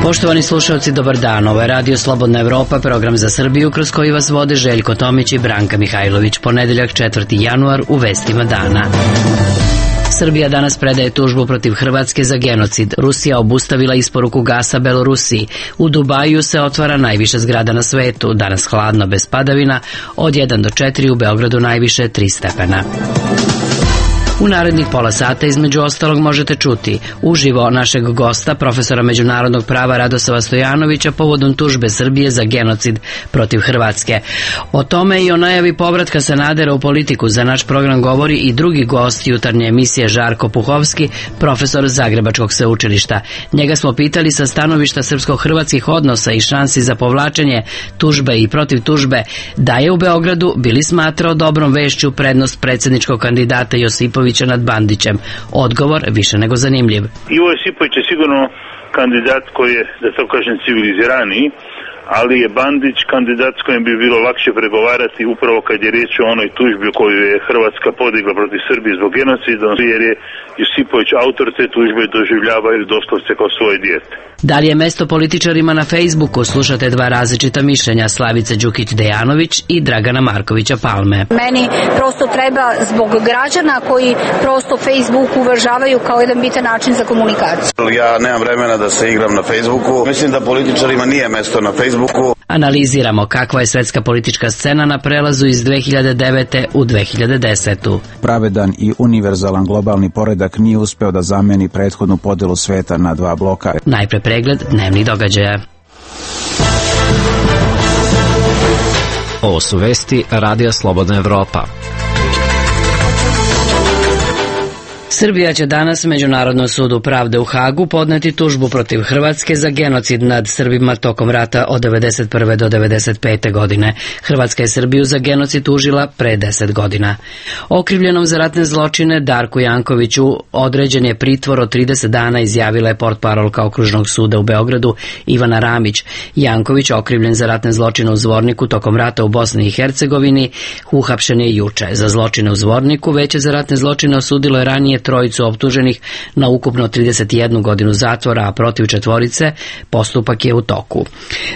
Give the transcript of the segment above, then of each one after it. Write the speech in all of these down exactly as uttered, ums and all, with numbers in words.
Poštovani slušalci, dobar dan. Ovo je Radio Slobodna Evropa, program za Srbiju kroz koji vas vode Željko Tomić i Branka Mihajlović. Ponedeljak četvrti januar u vestima dana. Srbija danas predaje tužbu protiv Hrvatske za genocid. Rusija obustavila isporuku gasa Belorusiji. U Dubaju se otvara najviša zgrada na svetu. Danas hladno bez padavina, od jedan do četiri, u Beogradu najviše tri stepena. U narednih pola sata između ostalog možete čuti uživo našeg gosta, profesora međunarodnog prava Radosava Stojanovića, povodom tužbe Srbije za genocid protiv Hrvatske. O tome i o najavi povratka Sanadera u politiku za naš program govori i drugi gost jutarnje emisije, Žarko Puhovski, profesor Zagrebačkog sveučilišta. Njega smo pitali sa stanovišta srpsko-hrvatskih odnosa i šansi za povlačenje tužbe i protiv tužbe da je u Beogradu bili smatrao dobrom vešću prednost predsjedničkog kandidata Josipovića nad Bandićem. Odgovor više nego zanimljiv. Ivo Josipović je sigurno kandidat koji je, da to kažem, civiliziraniji, ali je Bandić kandidat s kojim bi bilo lakše pregovarati upravo kad je riječ o onoj tužbi koju je Hrvatska podigla protiv Srbije zbog genocida, jer je Josipović autor te tužbe doživljava ili doslovce kao svoje dijete. Da li je mesto političarima na Facebooku? Slušate dva različita mišljenja, Slavice Đukić-Dejanović i Dragana Markovića Palme. Meni prosto treba zbog građana koji prosto Facebook uvažavaju kao jedan bitan način za komunikaciju. Ja nemam vremena da se igram na Facebooku. Mislim da političarima nije mesto na Facebooku. Analiziramo kakva je svetska politička scena na prelazu iz dve hiljade devete u dve hiljade desetu. Pravedan i univerzalan globalni poredak nije uspeo da zameni prethodnu podelu sveta na dva bloka. Najpre pregled dnevnih događaja. Ovo su vesti Radija Slobodna Evropa. Srbija će danas Međunarodnom sudu pravde u Hagu podneti tužbu protiv Hrvatske za genocid nad Srbima tokom rata od devedeset prve do devedeset pete godine. Hrvatska je Srbiju za genocid tužila pre deset godina. Okrivljenom za ratne zločine Darku Jankoviću određen je pritvor od trideset dana, izjavila je portparolka Okružnog suda u Beogradu Ivana Ramić. Janković, okrivljen za ratne zločine u Zvorniku tokom rata u Bosni i Hercegovini, uhapšen je juče. Za zločine u Zvorniku Veće za ratne zločine osudilo je ranije trojicu optuženih na ukupno trideset jednu godinu zatvora, a protiv četvorice postupak je u toku.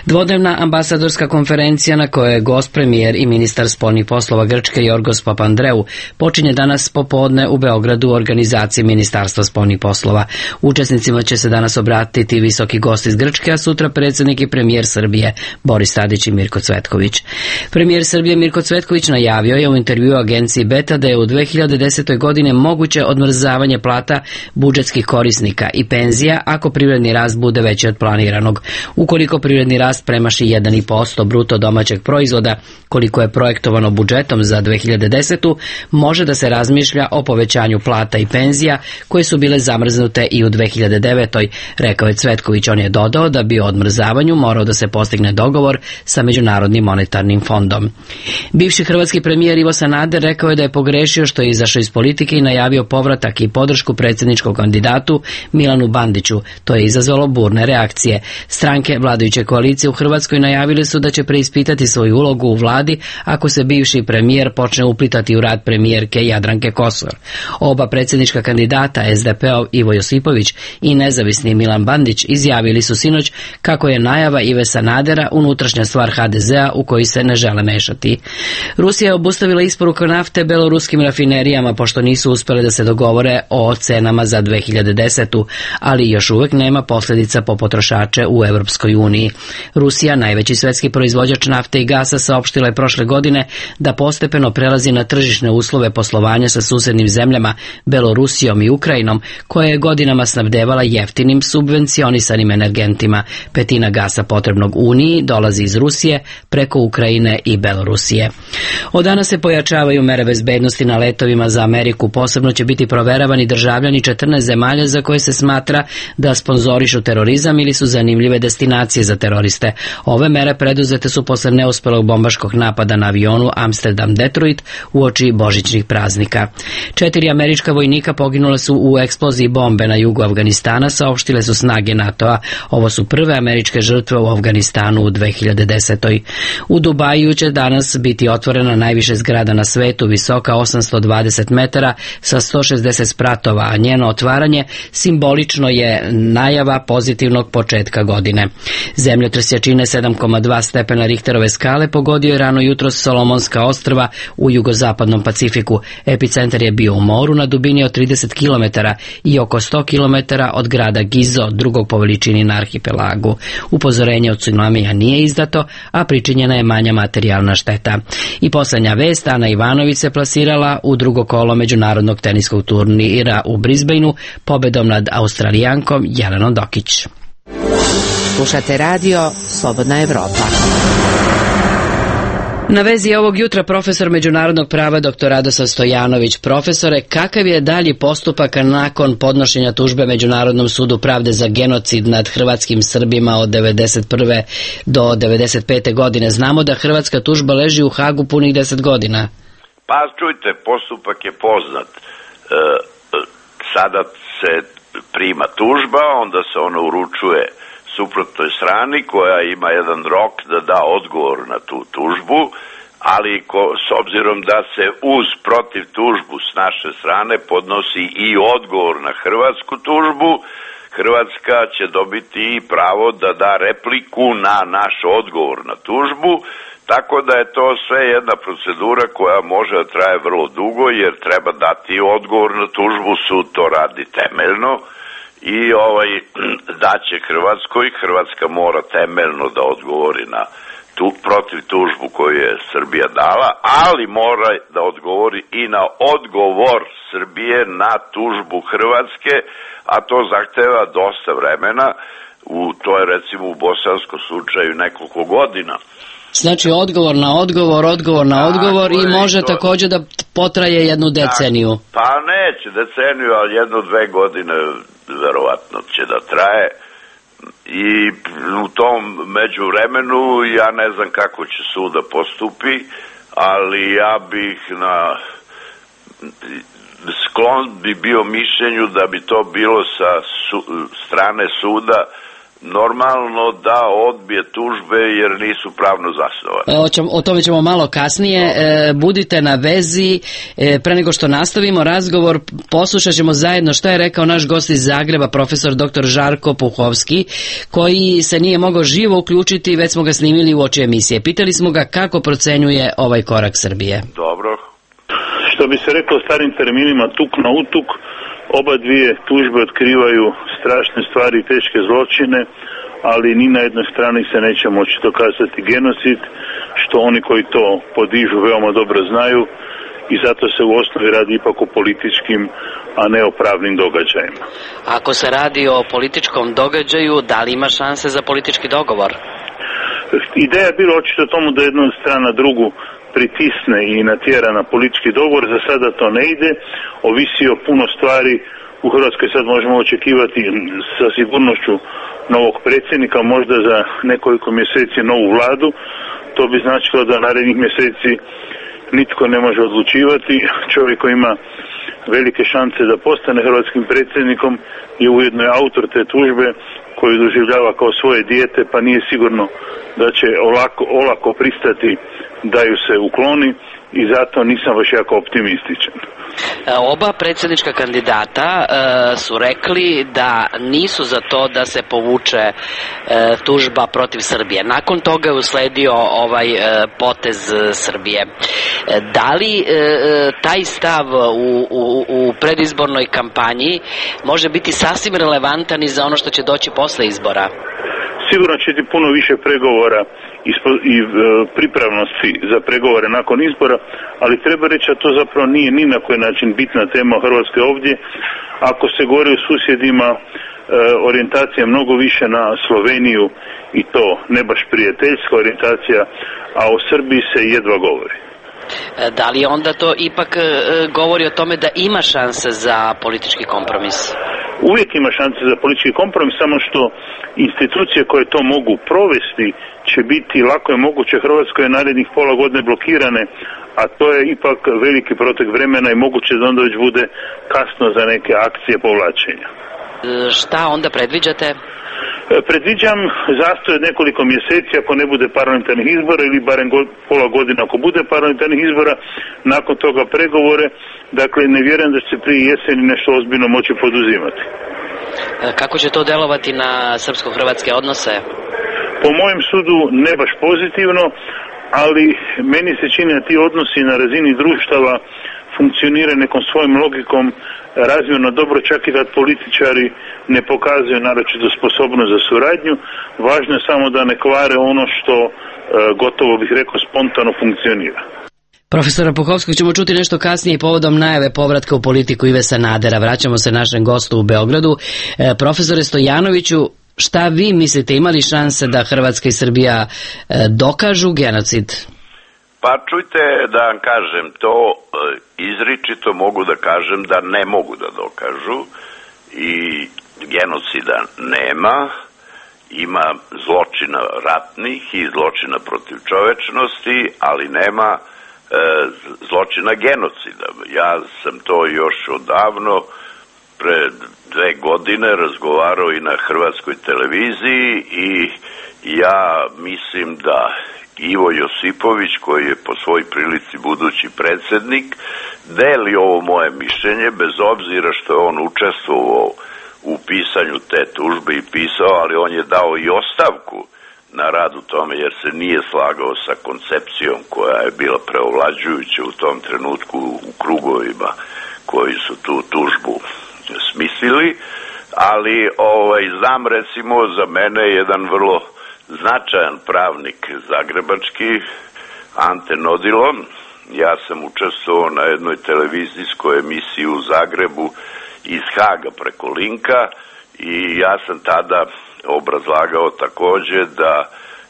Dvodnevna ambasadorska konferencija na kojoj je gost premijer i ministar spoljnih poslova Grčke Jorgos Papandreou počinje danas popodne u Beogradu u organizaciji Ministarstva spoljnih poslova. Učesnicima će se danas obratiti visoki gost iz Grčke, a sutra predsjednik i premijer Srbije Boris Tadić i Mirko Cvetković. Premijer Srbije Mirko Cvetković najavio je u intervjuu agenciji Beta da je u dve hiljade desetoj godine moguće odmrzavanje plata budžetskih korisnika i penzija ako privredni rast bude veći od planiranog. Ukoliko privredni rast premaši jedan zarez pet posto bruto domaćeg proizvoda, koliko je projektovano budžetom za dve hiljade desetu, može da se razmišlja o povećanju plata i penzija koje su bile zamrznute i u dve hiljade devetoj. Rekao je Cvetković. On je dodao da bi o odmrzavanju morao da se postigne dogovor sa Međunarodnim monetarnim fondom. Bivši hrvatski premijer Ivo Sanader rekao je da je pogrešio što je izašao iz politike i najavio povratak i podršku predsjedničkom kandidatu Milanu Bandiću. To je izazvalo burne reakcije. Stranke vladajuće koalicije u Hrvatskoj najavile su da će preispitati svoju ulogu u vladi ako se bivši premijer počne uplitati u rad premijerke Jadranke Kosor. Oba predsjednička kandidata, es de pe-ov Ivo Josipović i nezavisni Milan Bandić, izjavili su sinoć kako je najava Ive Sanadera unutrašnja stvar ha de zea u koji se ne žele mešati. Rusija je obustavila isporuku nafte beloruskim rafinerijama pošto nisu uspjele da se dogovore o cenama za dve hiljade desetu, ali još uvek nema posljedica po potrošače u Evropskoj uniji. Rusija, najveći svetski proizvođač nafte i gasa, saopštila je prošle godine da postepeno prelazi na tržišne uslove poslovanja sa susednim zemljama Belorusijom i Ukrajinom, koje je godinama snabdevala jeftinim subvencionisanim energentima. Petina gasa potrebnog Uniji dolazi iz Rusije preko Ukrajine i Belorusije. Od danas se pojačavaju mere bezbednosti na letovima za Ameriku. Posebno će biti proveravani državljani četrnaest zemalja za koje se smatra da sponzorišu terorizam ili su zanimljive destinacije za teroriste. Ove mere preduzete su posle neuspelog bombaškog napada na avionu Amsterdam-Detroit uoči božićnih praznika. Četiri američka vojnika poginule su u eksploziji bombe na jugu Afganistana, saopštile su snage NATO-a. Ovo su prve američke žrtve u Afganistanu u dve hiljade desetoj. U Dubaju će danas biti otvorena najviša zgrada na svetu, visoka osamsto dvadeset metara sa sto šezdeset se spratova, a njeno otvaranje simbolično je najava pozitivnog početka godine. Zemljotres jačine sedam zarez dva stepena Richterove skale pogodio je rano jutros Solomonska ostrva u jugozapadnom Pacifiku. Epicentar je bio u moru na dubini od trideset kilometara i oko sto kilometara od grada Gizo, drugog po veličini na arhipelagu. Upozorenje od tsunamija nije izdato, a pričinjena je manja materijalna šteta. I poslednja vest, Ana Ivanović se plasirala u drugo kolo međunarodnog teniskog turnira u Brisbaneu pobedom nad Australijankom Jelenom Dokić. Slušate radio Slobodna Evropa. Na vezi ovog jutra profesor međunarodnog prava dr Radoslav Stojanović. Profesore, kakav je dalji postupak nakon podnošenja tužbe Međunarodnom sudu pravde za genocid nad hrvatskim Srbima od devedeset prve do devedeset pete godine? Znamo da hrvatska tužba leži u Hagu punih deset godina. Pa čujte, postupak je poznat. E, sada se prima tužba, onda se ona uručuje suprotnoj strani koja ima jedan rok da da odgovor na tu tužbu, ali ko, s obzirom da se uz protiv tužbu s naše strane podnosi i odgovor na hrvatsku tužbu, Hrvatska će dobiti i pravo da da repliku na naš odgovor na tužbu, tako da je to sve jedna procedura koja može da traje vrlo dugo, jer treba dati odgovor na tužbu, sud to radi temeljno, i ovaj daće Hrvatskoj, Hrvatska mora temeljno da odgovori na tu protiv tužbu koju je Srbija dala, ali mora da odgovori i na odgovor Srbije na tužbu Hrvatske, a to zahteva dosta vremena, u to je recimo u bosanskom slučaju nekoliko godina. Znači odgovor na odgovor, odgovor na odgovor i može to također da potraje jednu deceniju. Pa neće deceniju, ali jedno dve godine verovatno će da traje i u tom međuvremenu ja ne znam kako će sud da postupi, ali ja bih na sklon bi bio mišljenju da bi to bilo sa su, strane suda normalno da odbije tužbe jer nisu pravno zasnovane. O tome ćemo malo kasnije. E, budite na vezi. E, pre nego što nastavimo razgovor, poslušat ćemo zajedno šta je rekao naš gost iz Zagreba, profesor dr Žarko Puhovski, koji se nije mogao živo uključiti, već smo ga snimili u oči emisije. Pitali smo ga kako procenjuje ovaj korak Srbije. Dobro. Što bi se reklo starim terminima, tuk na utuk, oba dvije tužbe otkrivaju strašne stvari i teške zločine, ali ni na jednoj strani se neće moći dokazati genocid, što oni koji to podižu veoma dobro znaju, i zato se u osnovi radi ipak o političkim, a ne o pravnim događajima. Ako se radi o političkom događaju, da li ima šanse za politički dogovor? Ideja je bila očito tomu da jedna strana drugu pritisne i natjera na politički dogovor. Za sada to ne ide, ovisi o puno stvari. U Hrvatskoj sad možemo očekivati sa sigurnošću novog predsjednika, možda za nekoliko mjeseci novu vladu. To bi značilo da narednih mjeseci nitko ne može odlučivati. Čovjek koji ima velike šanse da postane hrvatskim predsjednikom je ujedno je autor te tužbe koju doživljava kao svoje dijete, pa nije sigurno da će olako, olako pristati da ju se ukloni, i zato nisam baš jako optimističan. Oba predsjednička kandidata e, su rekli da nisu za to da se povuče e, tužba protiv Srbije. Nakon toga je usledio ovaj e, potez Srbije. E, da li e, taj stav u, u, u predizbornoj kampanji može biti sasvim relevantan i za ono što će doći posle izbora? Sigurno će biti puno više pregovora i pripravnosti za pregovore nakon izbora, ali treba reći da to zapravo nije ni na koji način bitna tema u Hrvatskoj ovdje. Ako se govori o susjedima, orijentacija mnogo više na Sloveniju, i to ne baš prijateljska orijentacija, a o Srbiji se jedva govori. Da li onda to ipak govori o tome da ima šanse za politički kompromis? Uvijek ima šanse za politički kompromis, samo što institucije koje to mogu provesti će biti, lako je moguće, Hrvatskoj narednih pola godine blokirane, a to je ipak veliki protek vremena i moguće da onda već bude kasno za neke akcije povlačenja. Šta onda predviđate? Predviđam zastoj od nekoliko mjeseci ako ne bude parlamentarnih izbora ili barem go, pola godina ako bude parlamentarnih izbora, nakon toga pregovore, dakle ne vjerujem da će se prije jeseni nešto ozbiljno moći poduzimati. Kako će to delovati na srpsko-hrvatske odnose? Po mojem sudu ne baš pozitivno, ali meni se čini da ti odnosi na razini društava funkcionira nekom svojom logikom razmjerno dobro, čak i kad političari ne pokazuju naročito sposobnost za suradnju. Važno je samo da ne kvare ono što e, gotovo bih rekao spontano funkcionira. Profesora Puhovskog ćemo čuti nešto kasnije povodom najave povratka u politiku Ive Sanadera. Vraćamo se našem gostu u Beogradu. E, profesore Stojanoviću, šta vi mislite, imali šanse da Hrvatska i Srbija e, dokažu genocid? Pa čujte da vam kažem, to izričito mogu da kažem da ne mogu da dokažu i genocida nema, ima zločina ratnih i zločina protiv čovečnosti, ali nema e, zločina genocida. Ja sam to još odavno, pre dve godine, razgovarao i na hrvatskoj televiziji i ja mislim da Ivo Josipović, koji je po svoj prilici budući predsjednik, deli ovo moje mišljenje, bez obzira što je on učestvovao u pisanju te tužbe i pisao, ali on je dao i ostavku na rad u tome, jer se nije slagao sa koncepcijom koja je bila preovlađujuća u tom trenutku u krugovima koji su tu tužbu smislili, ali ovaj, znam recimo za mene jedan vrlo značajan pravnik zagrebački, Ante Nodilo. Ja sam učestvovao na jednoj televizijskoj emisiji u Zagrebu iz Haga preko linka i ja sam tada obrazlagao takođe da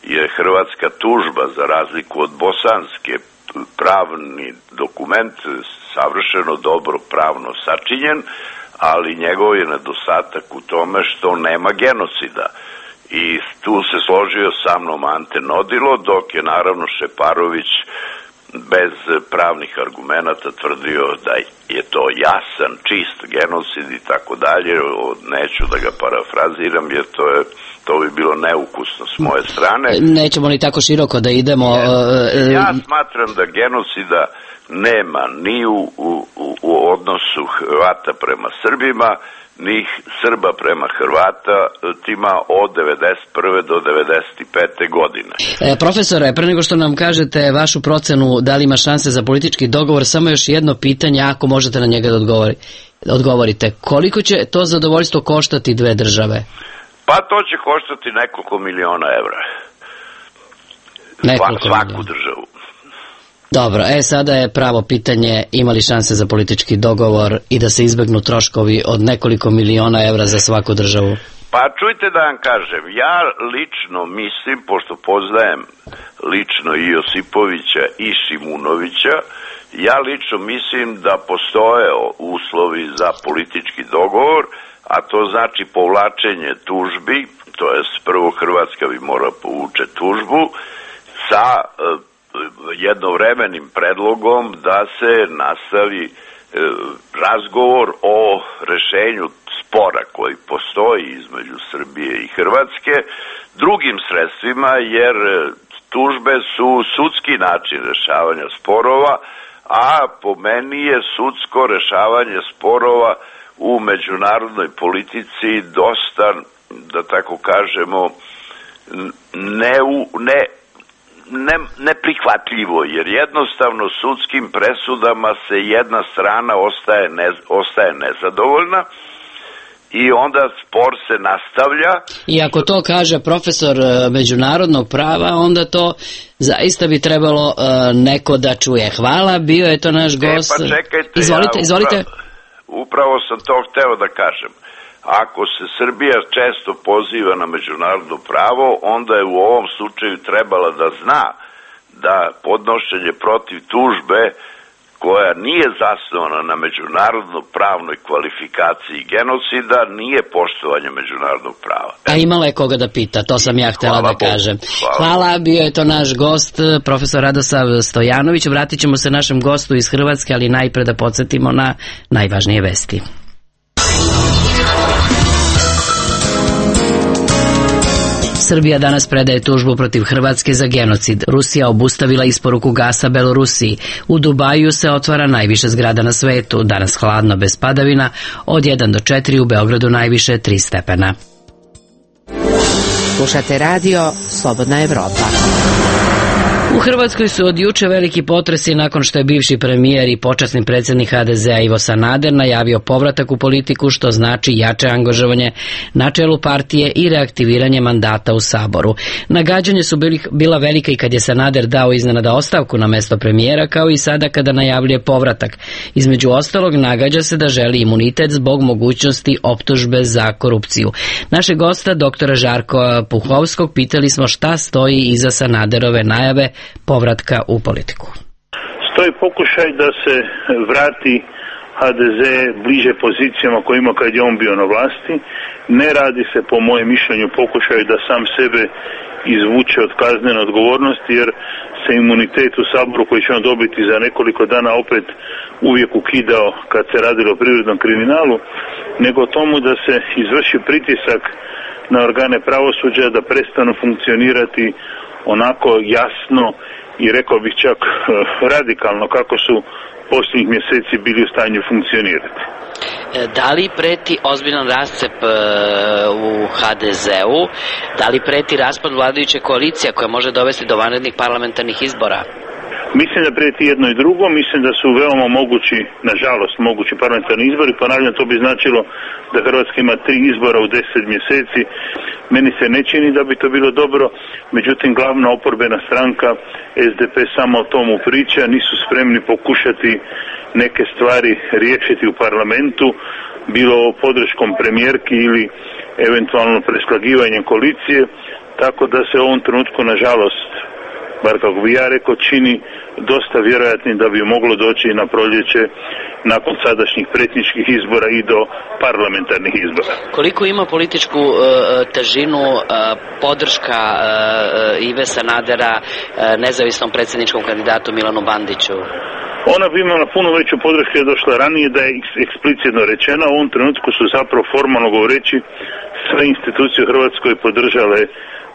je hrvatska tužba za razliku od bosanske pravni dokument savršeno dobro pravno sačinjen, ali njegov je nedostatak u tome što nema genocida. I tu se složio sa mnom Ante Nodilo, dok je naravno Šeparović bez pravnih argumenata tvrdio da je to jasan, čist genocid i tako dalje. Neću da ga parafraziram jer to je to bi bilo neukusno s moje strane. Nećemo ni tako široko da idemo. Ja smatram da genocida nema ni u, u, u odnosu Hrvata prema Srbima, ni Srba prema Hrvatima od devedeset prve do devedeset pete godine. E, profesore, pre nego što nam kažete vašu procenu da li ima šanse za politički dogovor, samo još jedno pitanje, ako možete na njega da odgovori, odgovorite. Koliko će to zadovoljstvo koštati dve države? Pa to će koštati nekoliko miliona evra. Nekoliko Svaku miliona. državu. Dobro, e sada je pravo pitanje, ima li šanse za politički dogovor i da se izbegnu troškovi od nekoliko miliona evra za svaku državu? Pa čujte da vam kažem, ja lično mislim, pošto poznajem lično i Josipovića i Šimunovića, ja lično mislim da postoje uslovi za politički dogovor, a to znači povlačenje tužbi, to je prvo Hrvatska bi mora povuče tužbu, sa jednovremenim predlogom da se nastavi e, razgovor o rešenju spora koji postoji između Srbije i Hrvatske drugim sredstvima, jer tužbe su sudski način rešavanja sporova, a po meni je sudsko rešavanje sporova u međunarodnoj politici dosta, da tako kažemo, ne u, ne Ne, neprihvatljivo, jer jednostavno sudskim presudama se jedna strana ostaje, ne, ostaje nezadovoljna i onda spor se nastavlja. I ako to kaže profesor međunarodnog prava, onda to zaista bi trebalo uh, neko da čuje. Hvala, bio je to naš gost. E, pa čekajte, izvolite, ja izvolite. Upravo, upravo sam to hteo da kažem. Ako se Srbija često poziva na međunarodno pravo, onda je u ovom slučaju trebala da zna da podnošenje protiv tužbe koja nije zasnovana na međunarodno pravnoj kvalifikaciji genocida nije poštovanje međunarodnog prava. A imala je koga da pita, to sam ja htela Hvala da Bogu. kažem. Hvala. Hvala, bio je to naš gost, profesor Radosav Stojanović. Vratit ćemo se našem gostu iz Hrvatske, ali najpre da podsjetimo na najvažnije vesti. Srbija danas predaje tužbu protiv Hrvatske za genocid. Rusija obustavila isporuku gasa Belorusiji. U Dubaju se otvara najviše zgrada na svetu. Danas hladno bez padavina, od jedan do četiri, u Beogradu najviše tri stepena. Slušate radio Slobodna Evropa. U Hrvatskoj su od juče veliki potresi nakon što je bivši premijer i počasni predsjednik ha de zea Ivo Sanader najavio povratak u politiku, što znači jače angažovanje na čelu partije i reaktiviranje mandata u Saboru. Nagađanje su bili, bila velika i kad je Sanader dao iznenada ostavku na mesto premijera, kao i sada kada najavljuje povratak. Između ostalog, nagađa se da želi imunitet zbog mogućnosti optužbe za korupciju. Našeg gosta, doktora Žarka Puhovskog, pitali smo šta stoji iza Sanaderove najave povratka u politiku. Stoji pokušaj da se vrati ha de ze bliže pozicijama koje ima kad je on bio na vlasti. Ne radi se, po mojem mišljenju, pokušaj da sam sebe izvuče od kaznene odgovornosti, jer se imunitet u Saboru koji će on dobiti za nekoliko dana opet uvijek ukidao kad se radilo o privrednom kriminalu, nego tomu da se izvrši pritisak na organe pravosuđa da prestanu funkcionirati onako jasno i rekao bih čak radikalno kako su posljednjih mjeseci bili u stanju funkcionirati. Da li preti ozbiljan rascep u ha de zeu? Da li preti raspad vladajuće koalicije koja može dovesti do vanrednih parlamentarnih izbora? Mislim da prijeti jedno i drugo, mislim da su veoma mogući, nažalost mogući parlamentarni izbori. Ponavljam, to bi značilo da Hrvatska ima tri izbora u deset mjeseci. Meni se ne čini da bi to bilo dobro, međutim glavna oporbena stranka es de pe samo o tomu priča, nisu spremni pokušati neke stvari riješiti u parlamentu, bilo podrškom premijerki ili eventualno preslagivanjem koalicije, tako da se u ovom trenutku, nažalost, bar kako bi ja rekao, čini dosta vjerojatnim da bi moglo doći na proljeće nakon sadašnjih predsjedničkih izbora i do parlamentarnih izbora. Koliko ima političku uh, težinu uh, podrška uh, Ive Sanadera uh, nezavisnom predsjedničkom kandidatu Milanu Bandiću? Ona bi imala puno veću podršku je došla ranije, da je eksplicitno rečena. U ovom trenutku su zapravo formalno govoreći sve institucije u Hrvatskoj podržale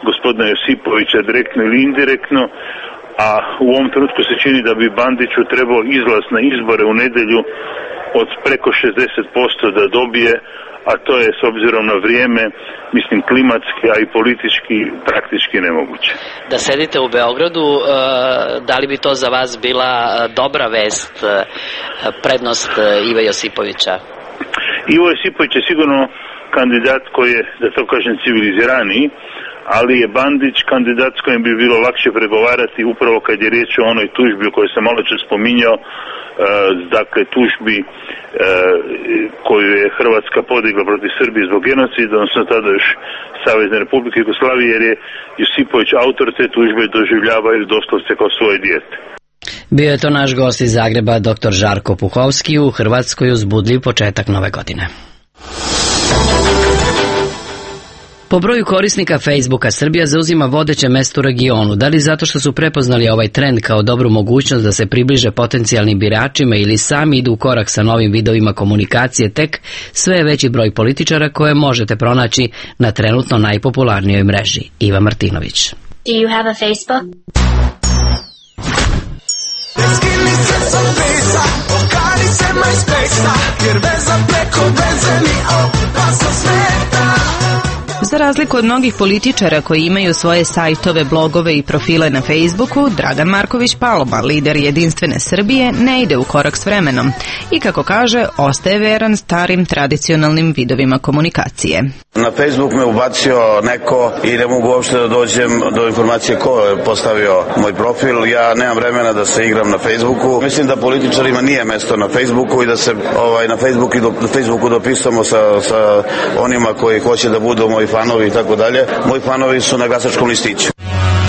gospodina Josipovića direktno ili indirektno, a u ovom trenutku se čini da bi Bandiću trebao izlaz na izbore u nedjelju od preko šezdeset posto da dobije, a to je s obzirom na vrijeme, mislim, klimatski, a i politički praktički nemoguće. Da sedite u Beogradu, da li bi to za vas bila dobra vest, prednost Ive Josipovića? Ivo Josipović je sigurno kandidat koji je, da to kažem, civiliziraniji, ali je Bandić kandidat s kojim bi bilo lakše pregovarati upravo kad je riječ o onoj tužbi o kojoj sam malo čas spominjao, e, dakle tužbi e, koju je Hrvatska podigla protiv Srbije zbog genocida, odnosno tada još Savezne Republike Jugoslavije, jer je Josipović autor te tužbe doživljava ili doslovce kao svoje dijete. Bio je to naš gost iz Zagreba, doktor Žarko Puhovski. U Hrvatskoj uzbudljiv početak nove godine. Po broju korisnika Facebooka Srbija zauzima vodeće mesto u regionu. Da li zato što su prepoznali ovaj trend kao dobru mogućnost da se približe potencijalnim biračima ili sami idu u korak sa novim vidovima komunikacije, tek sve je veći broj političara koje možete pronaći na trenutno najpopularnijoj mreži. Iva Martinović. Do you have a Facebook? Za razliku od mnogih političara koji imaju svoje sajtove, blogove i profile na Facebooku, Dragan Marković Palma, lider Jedinstvene Srbije, ne ide u korak s vremenom i, kako kaže, ostaje veran starim tradicionalnim vidovima komunikacije. Na Facebook me ubacio neko i ne mogu uopšte da dođem do informacije ko je postavio moj profil. Ja nemam vremena da se igram na Facebooku. Mislim da političarima nije mesto na Facebooku i da se ovaj, na Facebooku, i do, na Facebooku dopisamo sa, sa onima koji hoće da budu moji fanovi i tako dalje. Moji fanovi su na glasačkom listiću.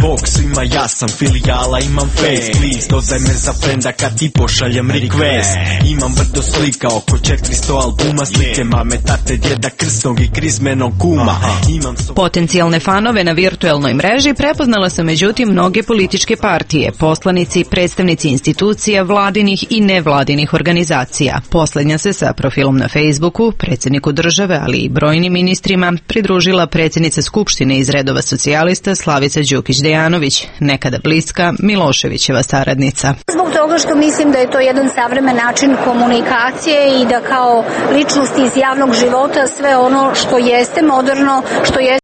Bog svima jasan, filijala imam face. Please, dodaj me za frenda kad ti pošaljem request. Imam brdo slika, oko četiristo albuma. Slike mame, tate, djeda, krsnog i krizmenog kuma. Imam so... Potencijalne fanove na virtuelnoj mreži prepoznala su međutim mnoge političke partije, poslanici, predstavnici institucija, vladinih i nevladinih organizacija. Poslednja se sa profilom na Facebooku, predsjedniku države, ali i brojnim ministrima, pridružila predsjednica Skupštine iz redova socijalista Slavica Đukić-Dejanović, nekada bliska Miloševićeva saradnica. Zbog toga što mislim da je to jedan savremen način komunikacije i da kao ličnost iz javnog života sve ono što jeste moderno, što jeste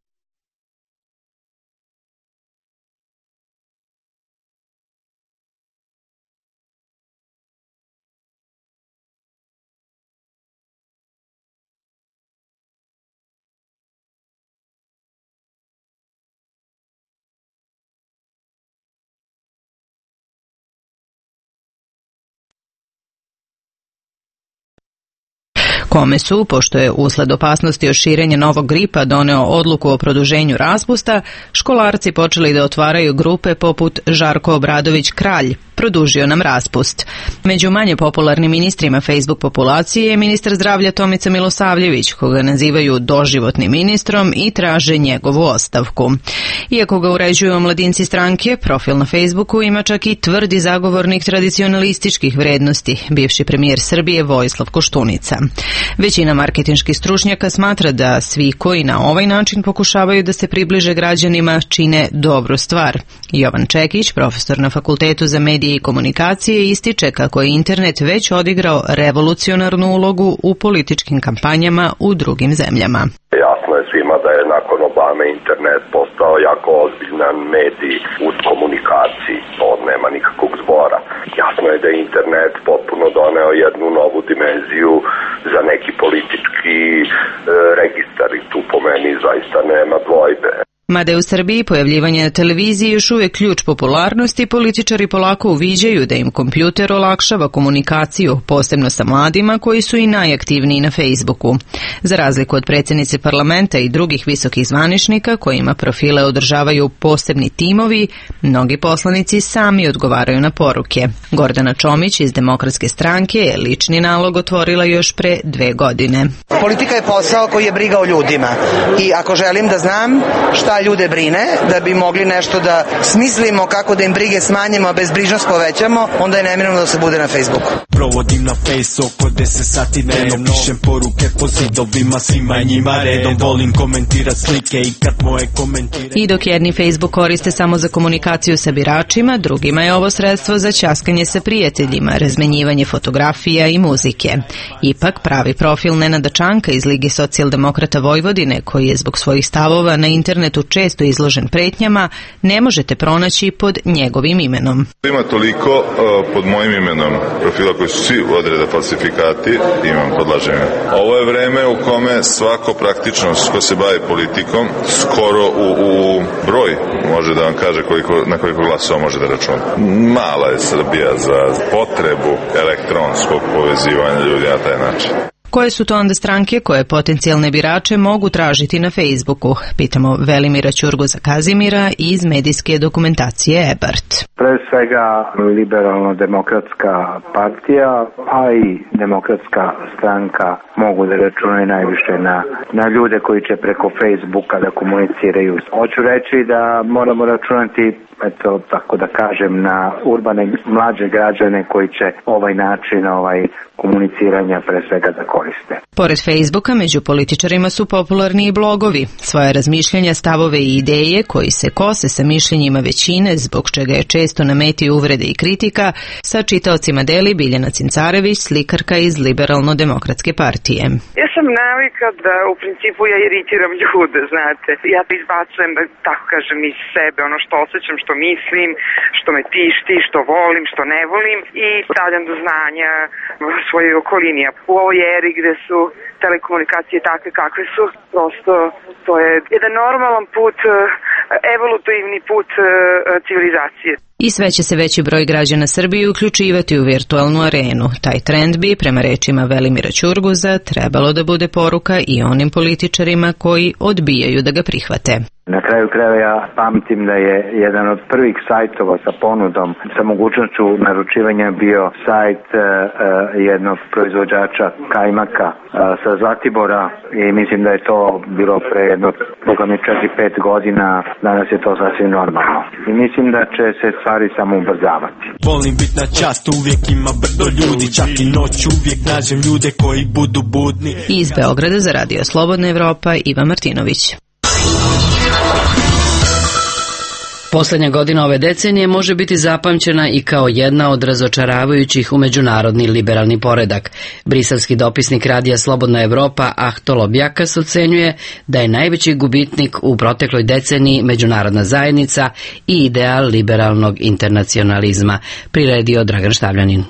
kome su, pošto je usled opasnosti od širenja novog gripa doneo odluku o produženju raspusta, školarci počeli da otvaraju grupe poput Žarko Obradović Kralj, produžio nam raspust. Među manje popularnim ministrima Facebook populacije je ministar zdravlja Tomica Milosavljević, koga nazivaju doživotnim ministrom i traže njegovu ostavku. Iako ga uređuju omladinci stranke, profil na Facebooku ima čak i tvrdi zagovornik tradicionalističkih vrednosti, bivši premijer Srbije Vojislav Koštunica. Većina marketinških stručnjaka smatra da svi koji na ovaj način pokušavaju da se približe građanima čine dobru stvar. Jovan Čekić, profesor na Fakultetu za medije i komunikacije, ističe kako je internet već odigrao revolucionarnu ulogu u političkim kampanjama u drugim zemljama. Jasno je svima da je nakon Obame internet postao jako ozbiljan medij u komunikaciji, to nema nikakvog zbora. Jasno je da je internet potpuno doneo jednu novu dimenziju za neki politički e, registar i tu po meni zaista nema dvojbe. Mada je u Srbiji pojavljivanje na televiziji još uvijek ključ popularnosti, političari polako uviđaju da im kompjuter olakšava komunikaciju, posebno sa mladima koji su i najaktivniji na Facebooku. Za razliku od predsjednice parlamenta i drugih visokih zvaničnika kojima profile održavaju posebni timovi, mnogi poslanici sami odgovaraju na poruke. Gordana Čomić iz Demokratske stranke je lični nalog otvorila još pre dve godine. Politika je posao koji je briga o ljudima i ako želim da znam šta ljude brine, da bi mogli nešto da smislimo kako da im brige smanjimo, a bezbrižnost povećamo, onda je neminovno da se bude na Facebooku. Provodim na Face oko deset sati dnevno, pišem poruke po zidovima, svima njima redom, volim komentirat slike i kad moje komentire. I dok jedni Facebook koriste samo za komunikaciju sa biračima, drugima je ovo sredstvo za ćaskanje sa prijateljima, razmenjivanje fotografija i muzike. Ipak pravi profil Nenada Čanka iz Lige socijaldemokrata Vojvodine, koji je zbog svojih stavova na internetu često izložen pretnjama, ne možete pronaći pod njegovim imenom. Ima toliko uh, pod mojim imenom profila koji su svi odreda falsifikati, imam podlaženje. Ovo je vreme u kome svako praktično ko se bavi politikom skoro u, u broj može da vam kaže koliko, na koliko glasova može da računa. Mala je Srbija za potrebu elektronskog povezivanja ljudi na taj način. Koje su to onda stranke koje potencijalne birače mogu tražiti na Facebooku? Pitamo Velimira Ćurguza Kazimira iz medijske dokumentacije Ebert. Pre svega liberalno-demokratska partija, a i demokratska stranka mogu da računaju najviše na, na ljude koji će preko Facebooka da komuniciraju. Hoću reći da moramo računati, eto, tako da kažem, na urbane mlađe građane koji će ovaj način ovaj komuniciranja pre svega da koriste. Pored Facebooka, među političarima su popularni i blogovi. Svoje razmišljanja, stavove i ideje koji se kose sa mišljenjima većine, zbog čega je često na meti uvrede i kritika, sa čitaocima deli Biljana Cincarević, slikarka iz Liberalno-demokratske partije. Ja sam navika da u principu ja iritiram ljude, znate. Ja izbacujem, da tako kažem, iz sebe ono što osjećam, što mislim, što me tišti, što volim, što ne volim i stavljam do znanja svojoj okolini. U ovoj eri gde su telekomunikacije takve kakve su, prosto to je jedan normalan put evolutivni put civilizacije. I sve će se veći broj građana Srbije uključivati u virtualnu arenu. Taj trend bi, prema rečima Velimira Ćurguza, trebalo da bude poruka i onim političarima koji odbijaju da ga prihvate. Na kraju krajeva ja pamtim da je jedan od prvih sajtova sa ponudom, sa mogućnošću naručivanja bio sajt uh, jednog proizvođača kajmaka uh, sa Zlatibora i mislim da je to bilo pre jedno, boga mi čak i pet godina, danas je to sasvim normalno. I mislim da će se stvari samo ubrzavati. Volim bit na čast, uvijek ima brdo ljudi, čak i noć uvijek nađem ljude koji budu budni. Iz Beograda za Radio Slobodna Evropa, Iva Martinović. Poslednja godina ove decenije može biti zapamćena i kao jedna od razočaravajućih u međunarodni liberalni poredak. Briselski dopisnik Radija Slobodna Evropa Ahtolo Bjakas ocenjuje da je najveći gubitnik u protekloj deceniji međunarodna zajednica i ideal liberalnog internacionalizma, priredio Dragan Štavljanin.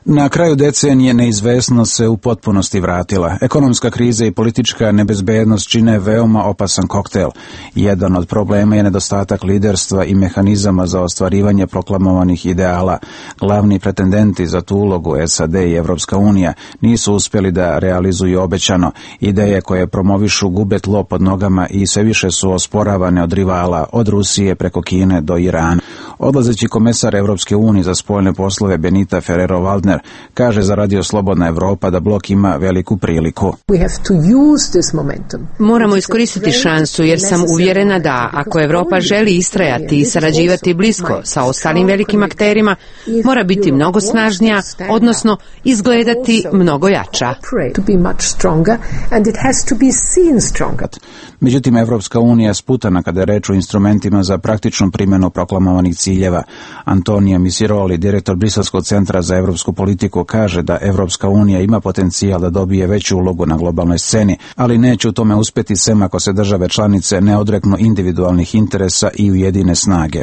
Na kraju decenije neizvesnost se u potpunosti vratila. Ekonomska kriza i politička nebezbednost čine veoma opasan koktel. Jedan od problema je nedostatak liderstva i mehanizama za ostvarivanje proklamovanih ideala. Glavni pretendenti za tu ulogu, S A D i Evropska unija, nisu uspjeli da realizuju obećano. Ideje koje promovišu gube tlo pod nogama i sve više su osporavane od rivala, od Rusije preko Kine do Irana. Odlazeći komesar Evropske unije za spoljne poslove Benita Ferrero-Waldner kaže za Radio Slobodna Evropa da blok ima veliku priliku. Moramo iskoristiti šansu jer sam uvjerena da ako Evropa želi istrajati i sarađivati blisko sa ostalim velikim akterima, mora biti mnogo snažnija, odnosno izgledati mnogo jača. Međutim, Evropska unija je sputana kada je reč o instrumentima za praktičnu primjenu proklamovanih ciljeva. Antonio Misiroli, direktor Briselskog centra za evropsku politiku, kaže da Evropska unija ima potencijal da dobije veću ulogu na globalnoj sceni, ali neće u tome uspjeti sem ako se države članice ne odreknu individualnih interesa i ujedine snage.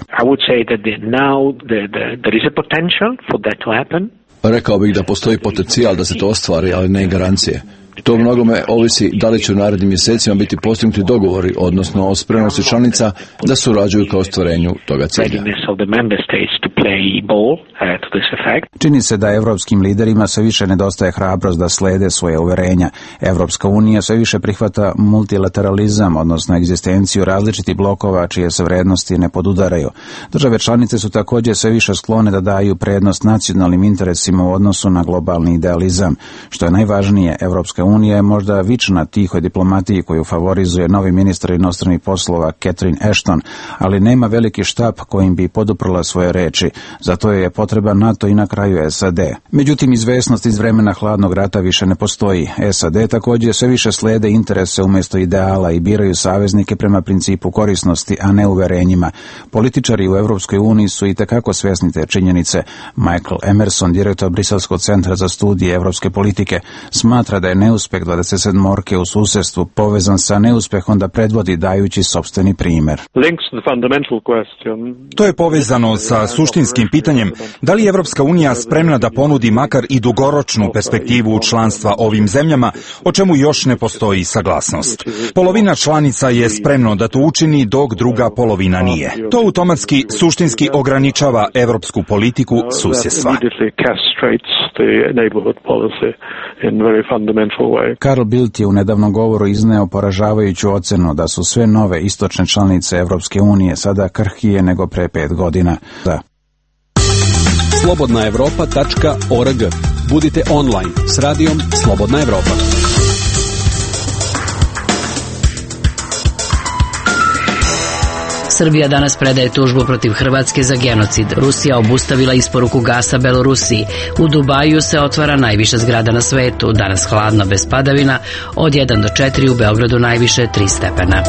Rekao bih da postoji potencijal da se to ostvari, ali ne garancije. To mnogome ovisi da li će u narednim mjesecima biti postignuti dogovori, odnosno o spremnosti članica da surađuju ka ostvarenju toga cilja. Čini se da evropskim liderima sve više nedostaje hrabrost da slede svoje uverenja. Evropska unija sve više prihvata multilateralizam, odnosno egzistenciju različitih blokova čije se vrednosti ne podudaraju. Države članice su također sve više sklone da daju prednost nacionalnim interesima u odnosu na globalni idealizam. Što je najvažnije, Evropska unija je možda vična tihoj diplomatiji koju favorizuje novi ministar inostranih poslova Catherine Ashton, ali nema veliki štab kojim bi poduprla svoje reči. Zato je potreban NATO i na kraju S A D. Međutim, izvesnost iz vremena hladnog rata više ne postoji. S A D također sve više slede interese umjesto ideala i biraju saveznike prema principu korisnosti, a ne uverenjima. Političari u Evropskoj uniji su i tekako svjesni te činjenice. Michael Emerson, direktor Briselskog centra za studije evropske politike, smatra da je neuspjeh dvadeset sedmorke u susjedstvu povezan sa neuspjehom da predvodi dajući sopstveni primjer. To je povezano sa suštinskim pitanjem da li je Evropska unija spremna da ponudi makar i dugoročnu perspektivu članstva ovim zemljama, o čemu još ne postoji saglasnost. Polovina članica je spremno da to učini, dok druga polovina nije. To automatski suštinski ograničava evropsku politiku susjedstva. Carl Bildt je u nedavnom govoru izneo poražavajuću ocenu da su sve nove istočne članice Evropske unije sada krhkije nego pre pet godina. Da. slobodna evropa tačka org. Budite online s radijom Slobodna Evropa. Srbija danas predaje tužbu protiv Hrvatske za genocid. Rusija obustavila isporuku gasa Belorusiji. U Dubaju se otvara najviša zgrada na svetu. Danas hladno bez padavina. Od jedan do četiri, u Beogradu najviše tri stepena.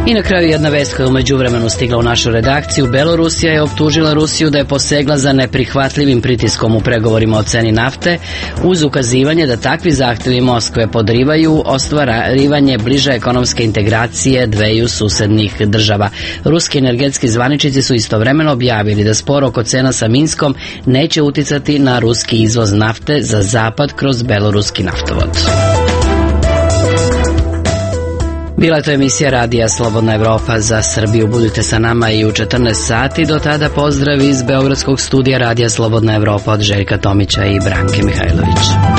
I na kraju jedna vest koja je u međuvremenu stigla u našu redakciju. Belorusija je optužila Rusiju da je posegla za neprihvatljivim pritiskom u pregovorima o ceni nafte, uz ukazivanje da takvi zahtjevi Moskve podrivaju ostvarivanje bliže ekonomske integracije dveju susednih država. Ruski energetski zvaničnici su istovremeno objavili da spor oko cena sa Minskom neće uticati na ruski izvoz nafte za zapad kroz beloruski naftovod. Bila je to emisija Radija Slobodna Evropa za Srbiju. Budite sa nama i u četrnaest sati. Do tada pozdrav iz Beogradskog studija Radija Slobodna Evropa od Željka Tomića i Branke Mihajlović.